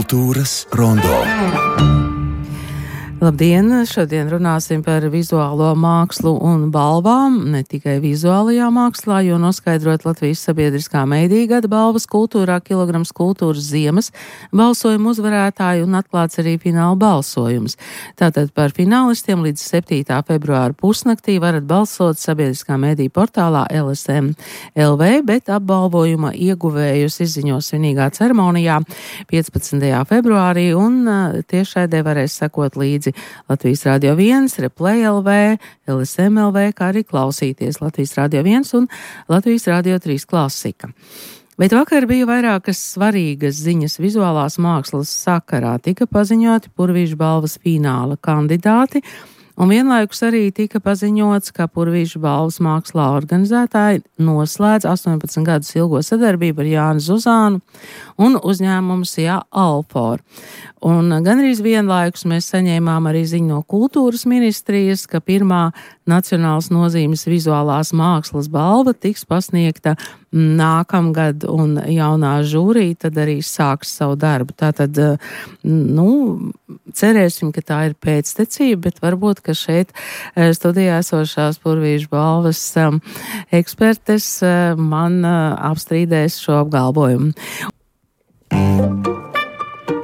Kultūras rondo. Labdien! Šodien runāsim par vizuālo mākslu un balvām, ne tikai vizuālajā mākslā, jo noskaidrot Latvijas sabiedriskā mediju gada balvas kultūrā kilograms kultūras ziemas balsojumu uzvarētāju un atklāts arī fināla balsojums. Tātad par finālistiem līdz 7. februāra pusnaktī varat balsot sabiedriskā mediju portālā LSM LV, bet apbalvojuma ieguvējus izziņos svinīgā ceremonijā 15. februārī un tiešraidē varēs sekot līdzi Latvijas Radio 1, Replay LV, LSM LV, kā arī klausīties Latvijas Radio 1 un Latvijas Radio 3 klasika. Bet vakar bija vairākas svarīgas ziņas vizuālās mākslas sakarā. Tika paziņoti Purvīša balvas fināla kandidāti, un vienlaikus arī tika paziņots, ka Purvīša balvas mākslā organizētāji noslēdz 18 gadus ilgo sadarbību ar Jāni Zuzānu un uzņēmumu SIA Alfor. Un gandrīz vienlaikus mēs saņēmām arī ziņu no kultūras ministrijas, ka pirmā nacionālas nozīmes vizuālās mākslas balva tiks pasniegta nākamgad, un jaunā žūrija tad arī sāks savu darbu. Tātad, cerēsim, ka tā ir pēctecība, bet varbūt, ka šeit studijā esošās Purvīša balvas ekspertes man apstrīdēs šo apgalvojumu.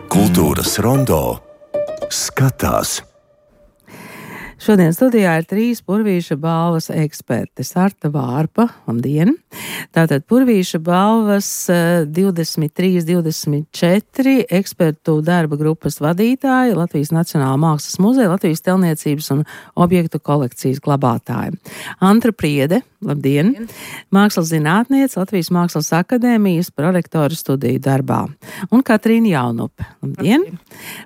Kultūras rondo skatās. Šodien studijā ir 3 Purvīša balvas ekspertes. Arta Vārpa, labdien! Tātad Purvīša balvas 23-24 ekspertu darba grupas vadītāji, Latvijas Nacionālā mākslas muzeja, Latvijas telniecības un objektu kolekcijas glabātāji. Antra Priede, labdien! Mākslas zinātniece, Latvijas Mākslas akadēmijas prorektora studiju darbā. Un Katrīna Jaunupe, labdien!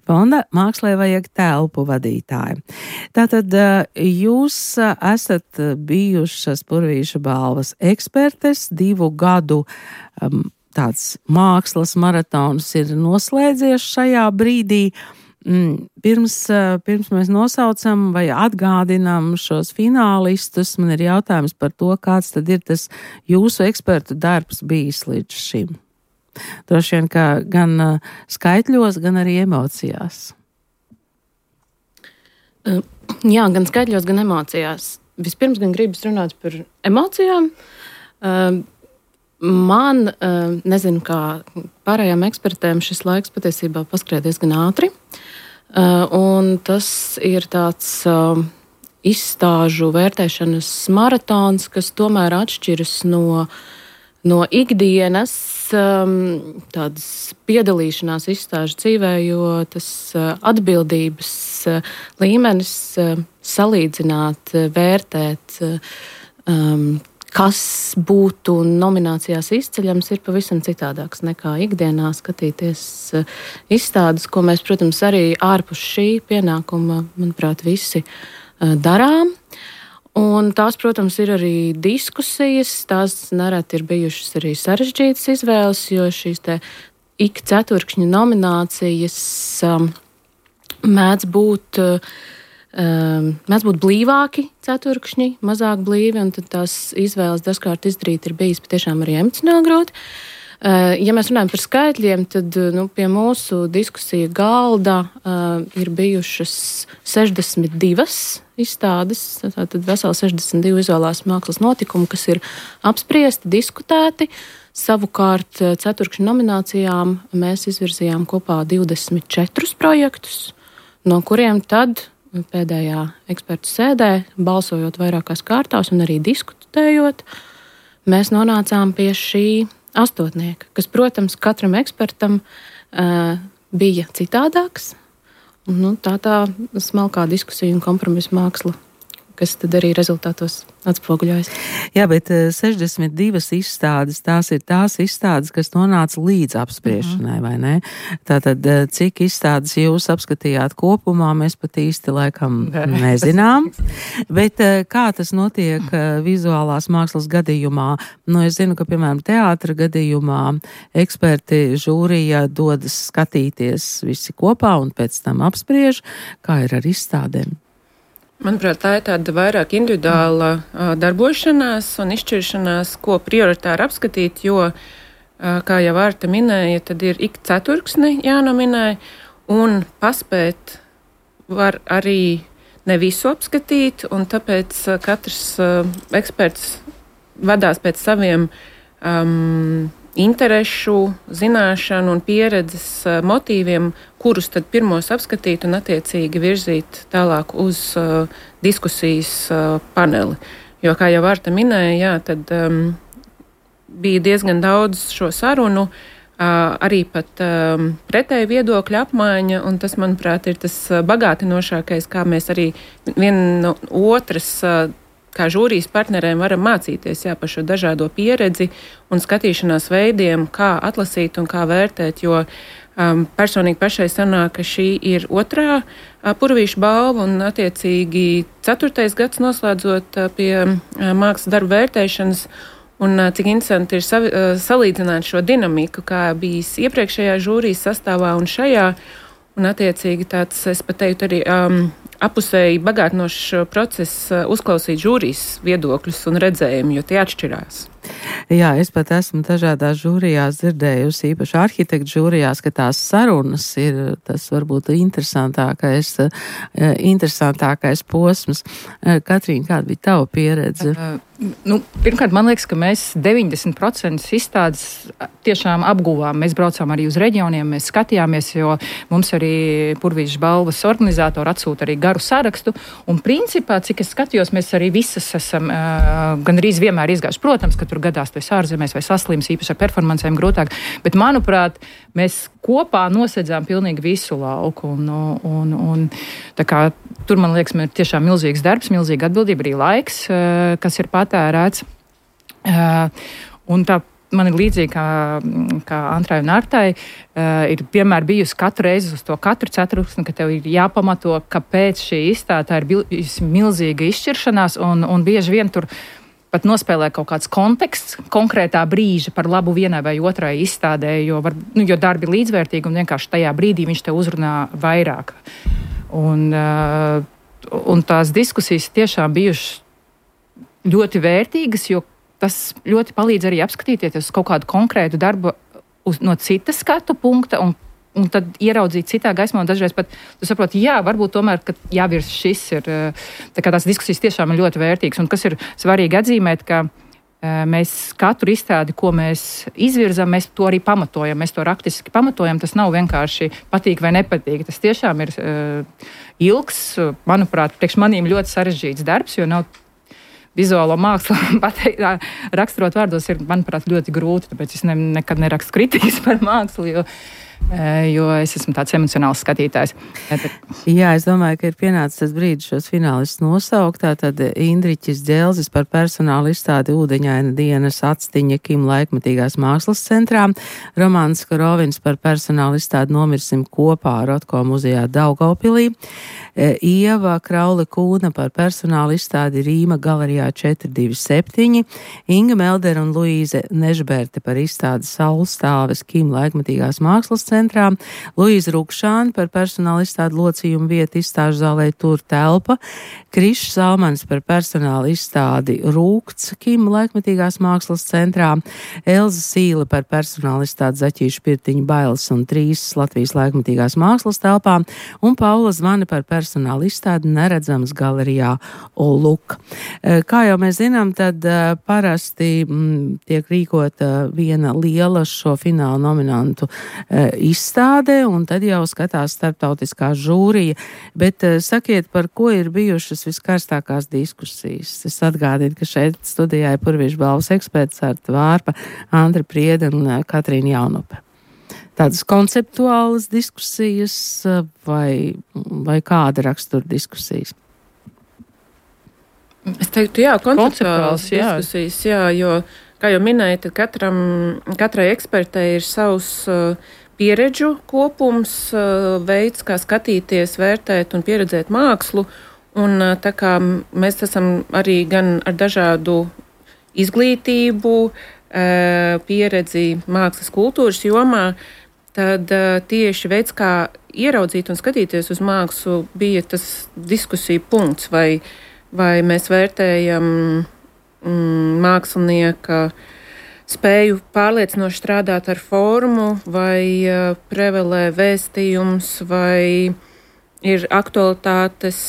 Fonda Mākslē vajag telpu vadītāji. Tātad jūs esat bijušas Purvīša balvas ekspertes, 2 gadu tāds mākslas maratons ir noslēdzies šajā brīdī. Pirms mēs nosaucam vai atgādinām šos finālistus, man ir jautājums par to, kāds tad ir tas jūsu ekspertu darbs bijis līdz šim. Droši vien, ka gan skaitļos, gan arī emocijās. Jā, gan skaitļos, gan emocijās. Vispirms gan gribas runāt par emocijām. Man, nezinu, kā pārējām ekspertēm, šis laiks patiesībā paskrēja diezgan ātri. Un tas ir tāds izstāžu vērtēšanas maratons, kas tomēr atšķiras no ikdienas tādas piedalīšanās izstāžu dzīvē, jo tas atbildības līmenis salīdzināt, vērtēt, kas būtu nominācijās izceļams, ir pavisam citādāks nekā ikdienā skatīties izstādes, ko mēs, protams, arī ārpus šī pienākuma, manuprāt, visi darām. Un tās, protams, ir arī diskusijas, tās nereti ir bijušas arī sarežģītas izvēles, jo šīs te ik ceturkšņa nominācijas mēdz būt blīvāki ceturkšņi, mazāk blīvi, un tad tās izvēles dažkārt izdarīt ir bijis patiešām arī emocionāli grūti. Ja mēs runājam par skaitļiem, tad pie mūsu diskusija galda ir bijušas 62 izstādes, tātad veseli 62 vizuālās mākslas notikumi, kas ir apspriesti, diskutēti. Savukārt ceturkšņu nominācijām mēs izvirzījām kopā 24 projektus, no kuriem tad pēdējā ekspertu sēdē, balsojot vairākās kārtās un arī diskutējot, mēs nonācām pie šī astotnieka, kas, protams, katram ekspertam bija citādāks. Tā smalkā diskusija un kompromisa māksla, kas tad arī rezultātos atspoguļojas. Jā, bet 62 izstādes, tās ir tās izstādes, kas nonāca līdz apspriešanai, vai ne? Tātad, cik izstādes jūs apskatījāt kopumā, mēs pat īsti laikam nezinām. Bet kā tas notiek vizuālās mākslas gadījumā? Es zinu, ka, piemēram, teātra gadījumā eksperti žūrija dodas skatīties visi kopā un pēc tam apspriež, kā ir ar izstādēm. Manuprāt, tā ir tāda vairāk individuāla darbošanās un izšķiršanās, ko prioritāri apskatīt, jo kā jau Arta minēja, tad ir ik ceturksni jānominē, un paspēt var arī ne visu apskatīt, un tāpēc katrs eksperts vadās pēc saviem interešu, zināšanu un pieredzes motīviem, kurus tad pirmos apskatīt un attiecīgi virzīt tālāk uz diskusijas paneli. Jo, kā jau Arta minēja, jā, tad bija diezgan daudz šo sarunu, arī pat pretēji viedokļu apmaiņa, un tas, manuprāt, ir tas bagātinošākais, kā mēs arī viena no otras kā žūrijas partneriem varam mācīties par šo dažādo pieredzi un skatīšanās veidiem, kā atlasīt un kā vērtēt, jo personīgi pašai sanāk, ka šī ir otrā Purvīša balva un attiecīgi 4. gads noslēdzot pie mākslas darbu vērtēšanas. Un cik interesanti ir salīdzināt šo dinamiku, kā bijis iepriekšējā žūrijas sastāvā un šajā. Un attiecīgi tāds, es pat teiktu, arī apusēji bagātinošs process uzklausīt žūrijas viedokļus un redzējumu, jo tie atšķirās. Jā, es pat esmu dažādās žūrijās dzirdējusi, īpaši arhitektu žūrijās, ka tās sarunas ir tas varbūt interesantākais posms. Katrīna, kāda bija tava pieredze? Pirmkārt, man liekas, ka mēs 90% izstādes tiešām apguvām. Mēs braucām arī uz reģioniem, mēs skatījāmies, jo mums arī Purvīša balvas organizatori atsūta arī garu sarakstu. Un principā, cik es skatījos, mēs arī visas esam gandrīz vienmēr izgājuši. Protams, ka tur gadās tu esi ārzemēs vai saslims, īpaši ar performancēm grūtāk. Bet, manuprāt, mēs kopā nosedzām pilnīgi visu lauku. Un tā kā tur, man liekas, ir tiešām milzīgs darbs, milzīga atbildība, arī laiks, kas ir patērēts. Un tā man ir līdzīgi kā Antrai un Artai, ir vienmēr bijusi katru reizi uz to katru ceturksni, ka tev ir jāpamato, kāpēc šī izstāde ir bijusi milzīga izšķiršanās, un bieži vien tur pat nospēlē kaut kāds konteksts konkrētā brīža par labu vienai vai otrai izstādē, jo darbi ir līdzvērtīgi un vienkārši tajā brīdī viņš te uzrunā vairāk. Un tās diskusijas tiešām bijušas ļoti vērtīgas, jo tas ļoti palīdz arī apskatīties uz kaut kādu konkrētu darbu no citas skatu punkta un tad ieraudzīt citā gaismā. Un dažreiz pat tu saproti, varbūt tomēr, ka jāvirs šis ir. Tā kā tās diskusijas tiešām ir ļoti vērtīgas. Un kas ir svarīgi atzīmēt, ka mēs katru izstādi, ko mēs izvirzam, mēs to arī pamatojam. Mēs to raktiski pamatojam. Tas nav vienkārši patīk vai nepatīk. Tas tiešām ir ilgs, manuprāt, priekš manīm ļoti sarežģīts darbs, jo nav vizuālo mākslu raksturot vārdos ir, manuprāt, ļoti grūti, tāpēc es nekad nerakstu kritikas par mākslu, jo es esmu tāds emocionāls skatītājs. Jā, es domāju, ka ir pienācis tas brīdis šos finālistus nosaukt. Tātad Indriķis Dzelzis par personālu izstādi Ūdeņaina dienas atstiņa Kim laikmetīgās mākslas centrā, Romāns Korovins par personālu izstādi Nomirsim kopā Rotko muzejā Daugavpilī, Ieva Kraule Kūna par personālu izstādi Rīma galerijā 427, Inga Meldera un Luīze Nežberte par izstādi Saulstāves Kim laikmetīgās mākslas centrā, Luīza Rukšāni par personāla izstādi Locījuma vieta izstāžu zālē Tur telpa, Krišs Salmans par personāla izstādi Rūkts Kim laikmetīgās mākslas centrā, Elza Sīle par personāla izstādi Zaķīšu pirtiņu Bailes un Trīsas Latvijas laikmetīgās mākslas telpā un Paula Zvani par personāla izstādi Neredzams galerijā Oluk. Kā jau mēs zinām, tad parasti tiek rīkota viena liela šo fināla nominantu izstāde, un tad jau skatās starptautiskā žūrija. Bet sakiet, par ko ir bijušas viskarstākās diskusijas? Es atgādinu, ka šeit studijā ir Purvīša balvas eksperts Arta Vārpa, Andra Priede un Katrīna Jaunupe. Tādas konceptuālas diskusijas vai kāda rakstura diskusijas? Es teiktu, konceptuālas diskusijas, jo, kā jau minēju, tad katrai ekspertei ir savs pieredžu kopums, veids, kā skatīties, vērtēt un pieredzēt mākslu. Un tā kā mēs esam arī gan ar dažādu izglītību, pieredzi mākslas kultūras jomā, tad tieši veids, kā ieraudzīt un skatīties uz mākslu, bija tas diskusiju punkts, vai mēs vērtējam mākslinieka spēju pārliecinoši strādāt ar formu, vai prevelē vēstījums, vai ir aktualitātes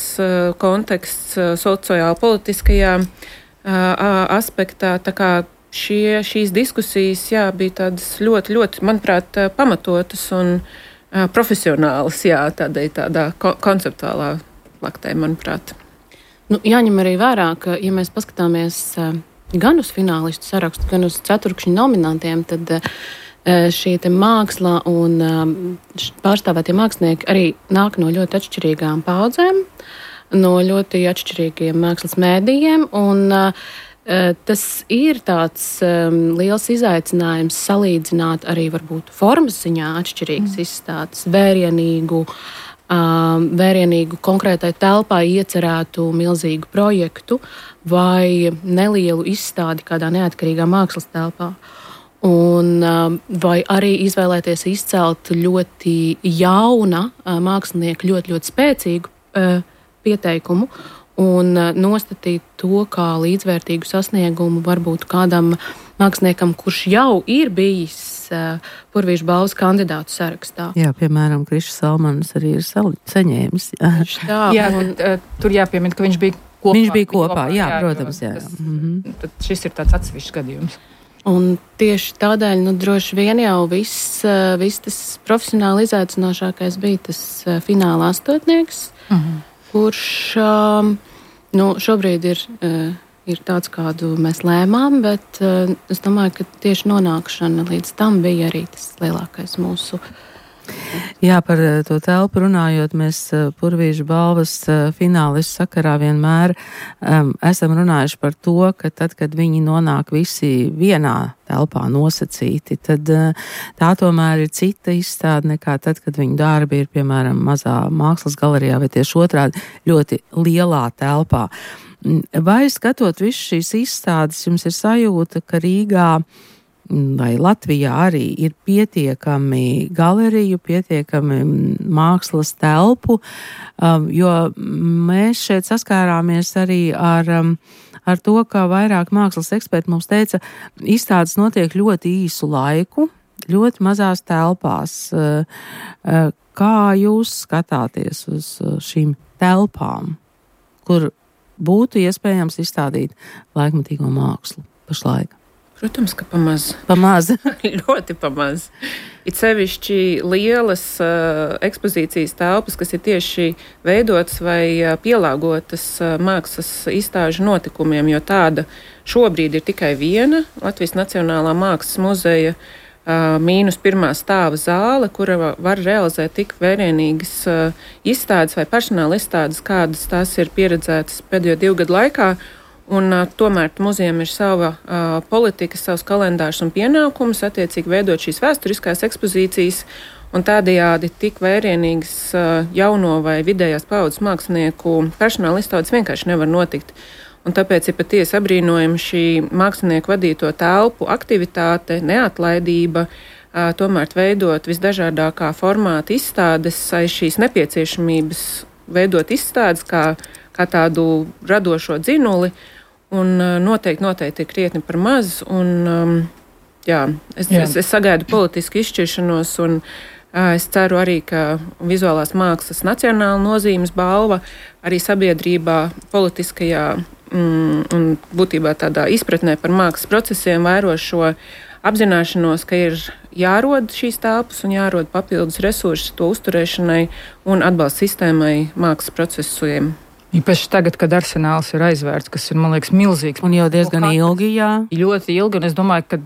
konteksts sociāli-politiskajā aspektā. Tā kā šīs diskusijas bija tādas ļoti, ļoti, manuprāt, pamatotas un profesionālas, tādā konceptuālā plaktē, manuprāt. Jāņem arī vērā, ka, ja mēs paskatāmies gan uz finālistu sarakstu, gan uz ceturkšņu nominantiem, tad šī māksla un pārstāvētie mākslinieki arī nāk no ļoti atšķirīgām paudzēm, no ļoti atšķirīgiem mākslas mēdījiem, un tas ir tāds liels izaicinājums salīdzināt arī varbūt formas ziņā atšķirīgas izstādes, vērienīgu konkrētai telpai iecerētu milzīgu projektu vai nelielu izstādi kādā neatkarīgā mākslas telpā. Vai arī izvēlēties izcelt ļoti jauna mākslinieka, ļoti, ļoti spēcīgu pieteikumu un nostatīt to kā līdzvērtīgu sasniegumu varbūt kādam māksliniekam, kurš jau ir bijis Purvīša balvas kandidātu sarakstā. Jā, piemēram, Krišs Salmanis arī ir saņēmis. Tur jāpiemina, ka viņš bija kopā. Viņš bija kopā, jā, protams. Jā. Tad šis ir tāds atsevišķs gadījums. Un tieši tādēļ, droši vien jau viss tas profesionāli izaicinošākais bija tas fināla astotnieks, kurš šobrīd ir tāds, kādu mēs lēmām, bet es domāju, ka tieši nonākšana līdz tam bija arī tas lielākais mūsu. Jā, par to telpu runājot, mēs Purvīša balvas finālistu sakarā vienmēr esam runājuši par to, ka tad, kad viņi nonāk visi vienā telpā nosacīti, tad tā tomēr ir cita izstāde nekā tad, kad viņu darbi ir, piemēram, mazā mākslas galerijā vai tieši otrādi ļoti lielā telpā. Vai skatot visu šīs izstādes, jums ir sajūta, ka Rīgā vai Latvijā arī ir pietiekami galeriju, pietiekami mākslas telpu, jo mēs šeit saskārāmies arī ar to, ka vairāk mākslas eksperti mums teica, izstādes notiek ļoti īsu laiku, ļoti mazās telpās. Kā jūs skatāties uz šīm telpām, kur būtu iespējams izstādīt laikmatīgo mākslu pašlaik? Protams, ka pamaz. Pamaz. Ļoti pamaz. It sevišķi lielas ekspozīcijas telpas, kas ir tieši veidotas vai pielāgotas mākslas izstāžu notikumiem, jo tāda šobrīd ir tikai viena Latvijas Nacionālā mākslas muzeja -1. stāva zāle, kura var realizēt tik vērienīgas izstādes vai personāla izstādes, kādas tās ir pieredzētas pēdējo 2 gadu laikā. Un tomēr muzejam ir sava politika, savs kalendārs un pienākums attiecīgi veidot šīs vēsturiskās ekspozīcijas, un tādējādi tik vērienīgas jauno vai vidējās paudzes mākslinieku personāla izstādes vienkārši nevar notikt. Un tāpēc ir patiesi apbrīnojama šī mākslinieku vadīto telpu aktivitāte, neatlaidība, tomēr veidot visdažādākā formāta izstādes aiz šīs nepieciešamības veidot izstādes kā tādu radošo dzinuli, un noteikti ir krietni par maz. Un, es sagaidu politisku izšķiršanos, un es ceru arī, ka vizuālās mākslas nacionāla nozīmes balva arī sabiedrībā politiskajā un būtībā tādā izpratnē par mākslas procesiem vēro šo apzināšanos, ka ir jārod šīs telpas un jārod papildus resursi to uzturēšanai un atbalsta sistēmai mākslas procesiem. Īpaši tagad, kad arsenāls ir aizvērts, kas ir, man liekas, milzīgs. Un jau diezgan ilgi, jā. Ļoti ilgi, un es domāju, ka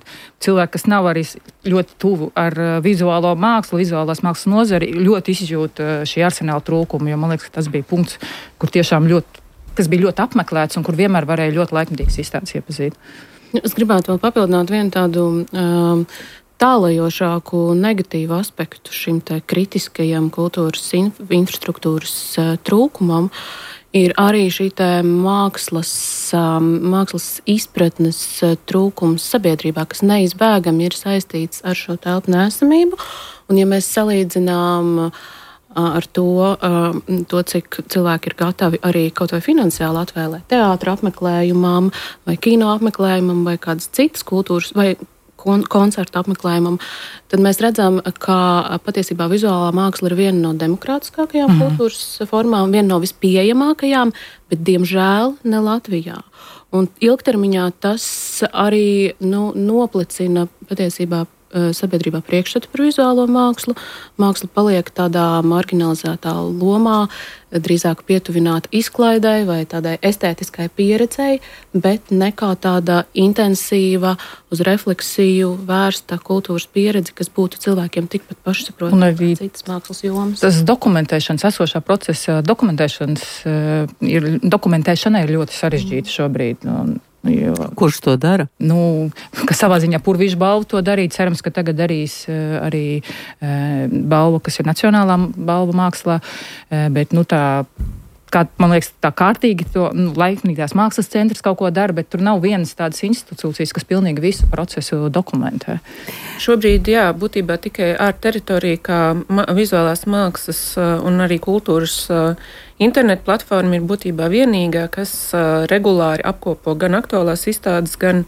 cilvēki, kas nav arī ļoti tuvu ar vizuālo mākslu, vizuālās mākslas nozari, ļoti izjūt šī arsenāla trūkumu, jo man liekas, ka tas bija punkts, kur tiešām kas bija ļoti apmeklēts un kur vienmēr varēja ļoti laikmatīgas izstādes iepazīt. Es gribētu vēl papildināt vienu tādu tālajošāku negatīvu aspektu šim te kritiskajam kultūras infrastruktūras trūkumam. Ir arī šī mākslas izpratnes trūkums sabiedrībā, kas neizbēgami ir saistīts ar šo telpu neesamību. Un, ja mēs salīdzinām ar to, cik cilvēki ir gatavi arī kaut vai finansiāli atvēlēt teātra apmeklējumam, vai kino apmeklējumam, vai kādas citas kultūras, vai koncertu apmeklējumam, tad mēs redzam, ka patiesībā vizuālā māksla ir viena no demokrātiskākajām kultūras formām, viena no vispieejamākajām, bet diemžēl ne Latvijā. Un ilgtermiņā tas arī noplicina patiesībā sabiedrībā priekšstatu par vizuālo mākslu. Māksla paliek tādā marginalizētā lomā, drīzāk pietuvināta izklaidei vai tādai estētiskai pieredzei, bet ne kā tāda intensīva, uz refleksiju vērsta kultūras pieredze, kas būtu cilvēkiem tikpat pašsaprotama kā citas mākslas jomas. Tas dokumentēšanas, esošā procesa dokumentēšana ir ļoti sarežģīta šobrīd. Kurš to dara? Ka savā ziņā Purvīša balva to darīja. Cerams, ka tagad darīs arī balva, kas ir nacionālā balva mākslā, bet man liekas, tā kārtīgi to laikmīgās mākslas centrs kaut ko dara, bet tur nav vienas tādas institūcijas, kas pilnīgi visu procesu dokumentē. Šobrīd, būtībā tikai ārta teritorija, kā vizuālās mākslas un arī kultūras internetu platforma ir būtībā vienīgā, kas regulāri apkopo gan aktuālās izstādes, gan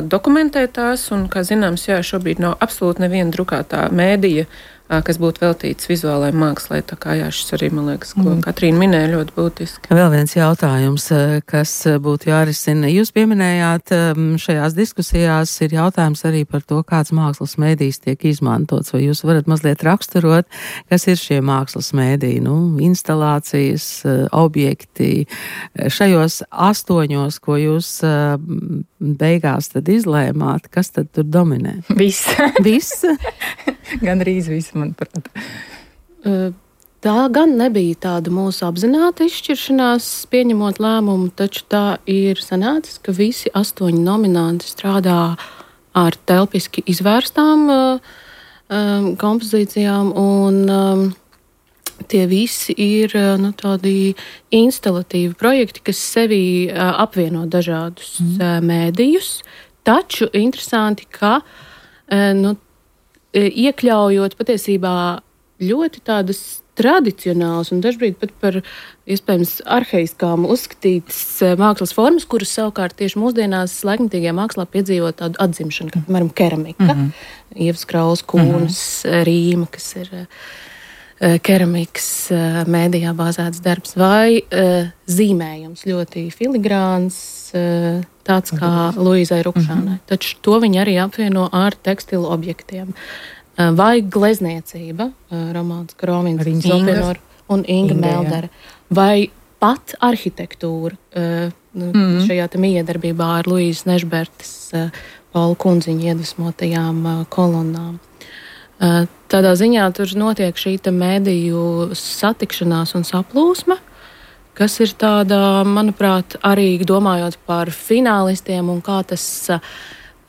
dokumentē tās, un, kā zināms, šobrīd nav absolūti neviena drukātā mēdīja, kas būtu veltīts vizuālai mākslai. Tā kā šis arī, man liekas, ko Katrīna minēja, ļoti būtiski. Vēl viens jautājums, kas būtu jārisina. Jūs pieminējāt, šajās diskusijās ir jautājums arī par to, kāds mākslas mēdījis tiek izmantots. Vai jūs varat mazliet raksturot, kas ir šie mākslas mēdīji? Instalācijas, objekti. Šajos 8, ko jūs beigās tad izlēmāt, kas tad tur dominē? Viss. Viss? Gandrīz viss, manuprāt. Tā gan nebija tāda mūsu apzināta izšķiršanās, pieņemot lēmumu, taču tā ir sanācis, ka visi 8 nominanti strādā ar telpiski izvērstām kompozīcijām, un tie visi ir tādi instalatīvi projekti, kas sevī apvieno dažādus mēdījus, taču interesanti, ka iekļaujot patiesībā ļoti tādas tradicionālas un dažbrīd pat par iespējams arhaiskām uzskatītas mākslas formas, kuras savukārt tieši mūsdienās laikmetīgajā mākslā piedzīvo tādu atzimšanu, kā piemēram keramika, Ievas Kraules kūnas, Rīma, kas ir keramikas mēdījā bāzēts darbs, vai zīmējums ļoti filigrāns, tāds kā Luīzai Rukšanai. Taču to viņi arī apvieno ar tekstilu objektiem. Vai glezniecība, Romāns Kromins un Inga Meldere, vai pat arhitektūra šajā miedarbībā ar Luīzes Nešbertes, Paula Kundziņa iedvesmotajām kolonnām. Tādā ziņā tur notiek šī mēdīju satikšanās un saplūsme, kas ir tāda, manuprāt, arī domājot par finālistiem un kā tas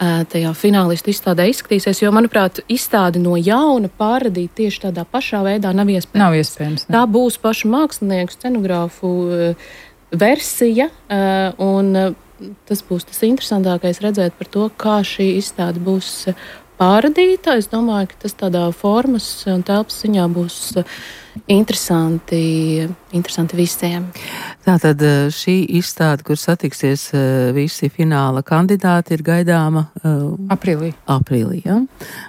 tajā finālistu izstādē izskatīsies, jo, manuprāt, izstādi no jauna pārradīt tieši tādā pašā veidā nav iespējams. Nav iespējams. Tā būs pašu mākslinieku, scenogrāfu versija, un tas būs tas interesantākais redzēt par to, kā šī izstāde būs pārradīta. Es domāju, ka tas tādā formas un telpas ziņā būs interesanti visiem. Tātad šī izstāde, kur satiksies visi fināla kandidāti, ir gaidāma aprīlī, ja?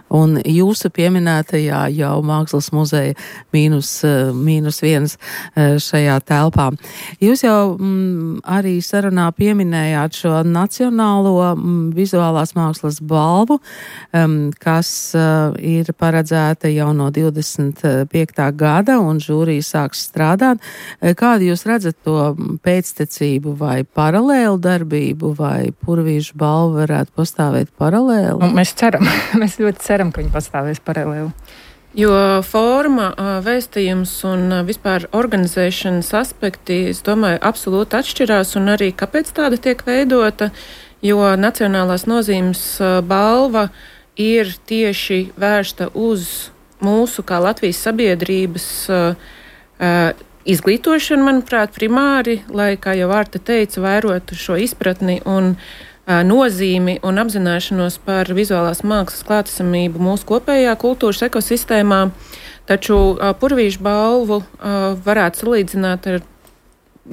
Un jūsu pieminētajā jau Mākslas muzeja -1 šajā telpā. Jūs jau arī sarunā pieminējāt šo nacionālo vizuālās mākslas balvu, kas ir paredzēta jau no 25. gada, un žūrija sāks strādāt. Kādu jūs redzat to pēctecību vai paralēlu darbību, vai Purvīša balva varētu pastāvēt paralēli? Mēs ceram, mēs ļoti ceram, ka viņi pastāvēs paralēli. Jo forma, vēstījums un vispār organizēšanas aspekti, es domāju, absolūti atšķirās, un arī kāpēc tāda tiek veidota, jo nacionālās nozīmes balva ir tieši vērsta uz mūsu kā Latvijas sabiedrības izglītošanu, manuprāt, primāri, lai, kā jau Vārta teica, vērotu šo izpratni un nozīmi un apzināšanos par vizuālās mākslas klātesamību mūsu kopējā kultūras ekosistēmā. Taču Purvīša balvu varētu salīdzināt ar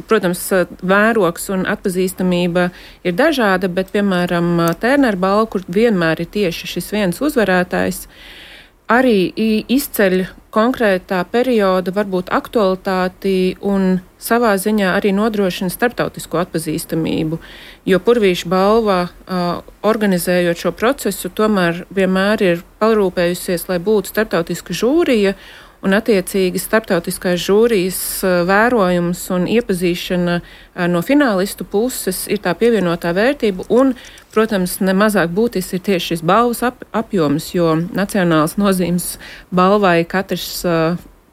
protams, vēroks un atpazīstamība ir dažāda, bet, piemēram, Tērnera balva, kur vienmēr ir tieši šis viens uzvarētājs, arī izceļ konkrētā perioda varbūt aktualitāti un savā ziņā arī nodrošina starptautisko atpazīstamību, jo Purvīša balva, organizējot šo procesu, tomēr vienmēr ir parūpējusies, lai būtu starptautiska žūrija, un attiecīgi starptautiskās žūrijas vērojums un iepazīšana no finālistu puses ir tā pievienotā vērtība, un, protams, nemazāk būtisks ir tieši šis balvas apjoms, jo nacionāls nozīmes balvai katrs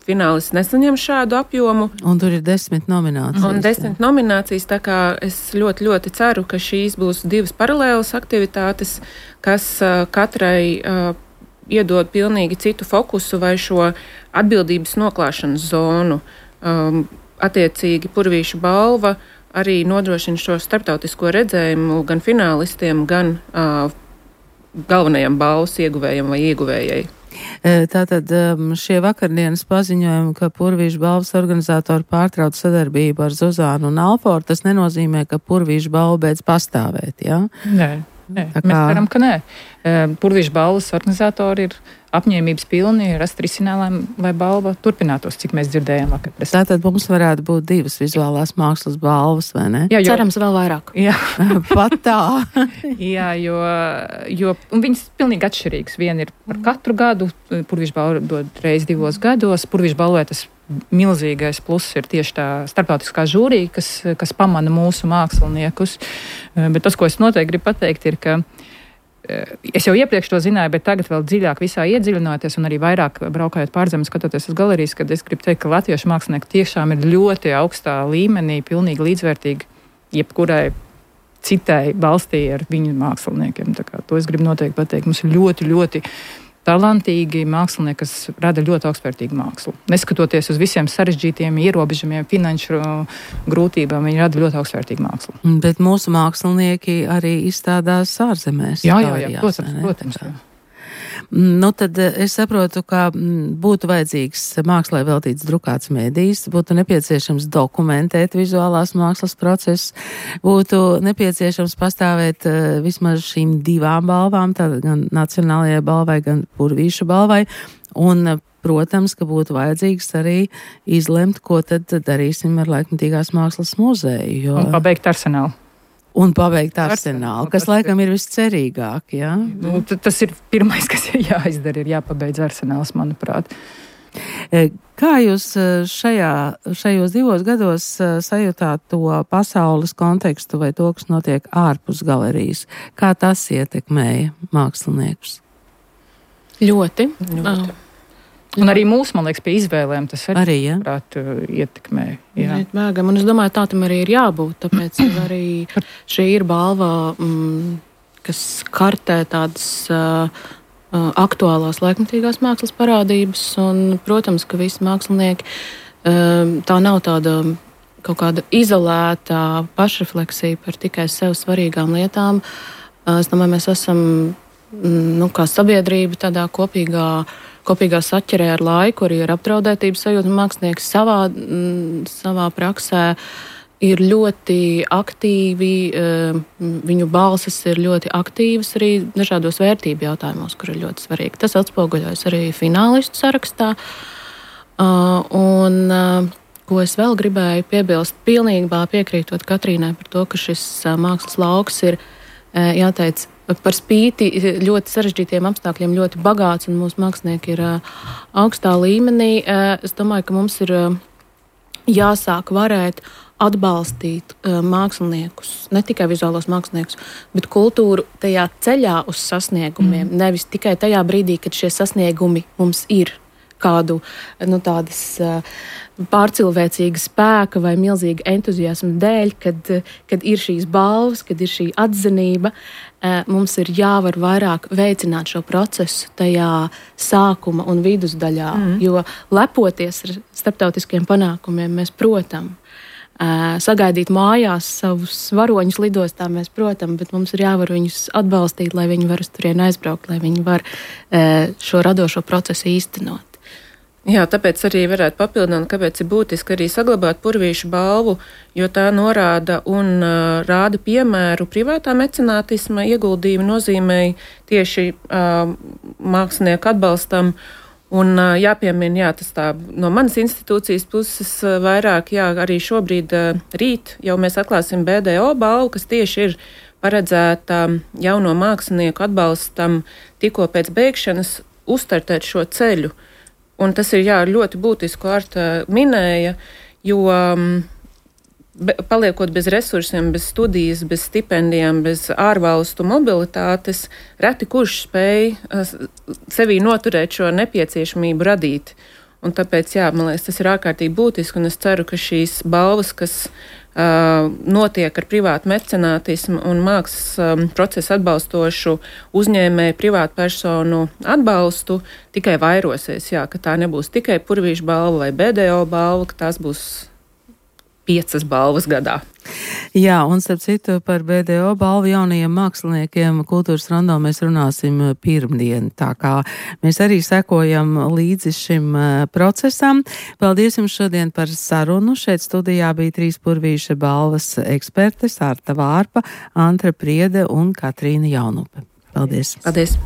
finālists nesaņem šādu apjomu. Un tur ir 10 nominācijas. Un 10 nominācijas, tā kā es ļoti, ļoti ceru, ka šīs būs 2 paralēlas aktivitātes, kas katrai iedod pilnīgi citu fokusu vai šo atbildības noklāšanas zonu. Attiecīgi Purvīša balva arī nodrošina šo starptautisko redzējumu gan finālistiem, gan galvenajam balvas ieguvējam vai ieguvējai. Tātad šie vakardienas paziņojumi, ka Purvīša balvas organizatori pārtrauc sadarbību ar Zuzānu un Alforu, tas nenozīmē, ka Purvīša balva beidz pastāvēt, jā? Nē, mēs ceram, ka nē. Purvīša balvas organizatori ir apņēmības pilni rast risinājumu, lai balva turpinātos, cik mēs dzirdējām vakar. Tātad mums varētu būt 2 vizuālās mākslas balvas, vai ne? Jā, cerams vēl vairāk. Jā. Pat tā. Jā, jo viņas pilnīgi atšķirīgas. Viena ir par katru gadu, Purvīša balva dod reiz 2 gados. Purvīša balvai tas milzīgais pluss ir tieši tā starptautiskā žūrija, kas pamana mūsu māksliniekus. Bet tas, ko es noteikti gribu pateikt, ir, ka es jau iepriekš to zināju, bet tagad vēl dziļāk visā iedziļinoties un arī vairāk braukājot pārzemes, skatoties uz galerijas, kad es gribu teikt, ka latviešu mākslinieki tiešām ir ļoti augstā līmenī, pilnīgi līdzvērtīgi jebkurai citai valstī ar viņu māksliniekiem. Tā kā to es gribu noteikti pateikt. Mums ir ļoti, ļoti talantīgi mākslinieki, kas rada ļoti augstvērtīgu mākslu. Neskatoties uz visiem sarežģītiem ierobežojumiem, finanšu grūtībām, viņi rada ļoti augstvērtīgu mākslu. Bet mūsu mākslinieki arī izstādās ārzemēs. Jā, protams. Nu, tad es saprotu, ka būtu vajadzīgs mākslai veltīts drukāts mēdījis, būtu nepieciešams dokumentēt vizuālās mākslas procesus, būtu nepieciešams pastāvēt vismaz šīm 2 balvām, tātad gan Nacionālajai balvai, gan Purvīša balvai, un, protams, ka būtu vajadzīgs arī izlemt, ko tad darīsim ar Laikmatīgās mākslas muzeju. Jo... Un pabeigt arsenālu. Un pabeigt arsenālu, kas laikam ir viscerīgāk, jā? Nu, tas ir pirmais, kas ir jāizdara, ir jāpabeidz arsenāls, manuprāt. Kā jūs šajos 2 gados sajūtāt to pasaules kontekstu vai to, kas notiek ārpus galerijas? Kā tas ietekmēja māksliniekus? Ļoti. Un arī mūsu, man liekas, pie izvēlēm tas arī ietekmē. Jā. Un es domāju, tā tam arī ir jābūt, tāpēc arī šī ir balva, kas kartē tādas aktuālās laikmatīgās mākslas parādības, un, protams, ka visi mākslinieki, tā nav tāda kaut kāda izolēta pašrefleksija par tikai sev svarīgām lietām. Es domāju, mēs esam, kā sabiedrība tādā kopīgā saķerē ar laiku, arī ar apdraudētības sajūtu. Mākslinieki savā praksē ir ļoti aktīvi, viņu balsis ir ļoti aktīvas arī dažādos vērtību jautājumos, kur ir ļoti svarīgi. Tas atspoguļojas arī finālistu sarakstā. Ko es vēl gribēju piebilst, pilnībā piekrītot Katrīnai par to, ka šis mākslas lauks ir, jāteic, par spīti ļoti sarežģītiem apstākļiem ļoti bagāts, un mūsu mākslinieki ir augstā līmenī. Es domāju, ka mums ir jāsāk varēt atbalstīt māksliniekus, ne tikai vizuālos māksliniekus, bet kultūru tajā ceļā uz sasniegumiem, nevis tikai tajā brīdī, kad šie sasniegumi mums ir kādu tādas pārcilvēcīga spēka vai milzīga entuziasma dēļ, kad ir šīs balvas, kad ir šī atzinība. Mums ir jāvar vairāk veicināt šo procesu tajā sākuma un vidusdaļā, jo lepoties ar starptautiskiem panākumiem mēs, protams, sagaidīt mājās savus varoņus lidostā mēs, protams, bet mums ir jāvar viņus atbalstīt, lai viņi var uz turieni aizbraukt, lai viņi var šo radošo procesu īstenot. Jā, tāpēc arī varētu papildināt, kāpēc ir būtiski arī saglabāt Purvīša balvu, jo tā norāda un rāda piemēru privātā mecenātisma ieguldījuma nozīmēji tieši mākslinieku atbalstam. Un jāpiemina, jā, tas tā no manas institūcijas puses vairāk, jā, arī šobrīd rīt jau mēs atklāsim BDO balvu, kas tieši ir paredzēta jauno mākslinieku atbalstam tikko pēc beigšanas uzstartēt šo ceļu. Un tas ir, jā, ļoti būtiski, ko Arta minēja, jo paliekot bez resursiem, bez studijas, bez stipendijām, bez ārvalstu mobilitātes, reti kurš spēj sevī noturēt šo nepieciešamību radīt. Un tāpēc, jā, man liekas, tas ir ārkārtīgi būtiski, un es ceru, ka šīs balvas, kas notiek ar privātu mecenātismu un mākslas procesu atbalstošu uzņēmēju privātu personu atbalstu, tikai vairosies, jā, ka tā nebūs tikai Purvīša balva vai BDO balva, ka tās būs 5 balvas gadā. Jā, un starp citu par BDO balvu jaunajiem māksliniekiem Kultūras Rondo mēs runāsim pirmdien, tā kā mēs arī sekojam līdzi šim procesam. Paldies jums šodien par sarunu. Šeit studijā bija 3 Purvīša balvas ekspertes Arta Vārpa, Antra Priede un Katrīna Jaunupe. Paldies! Paldies!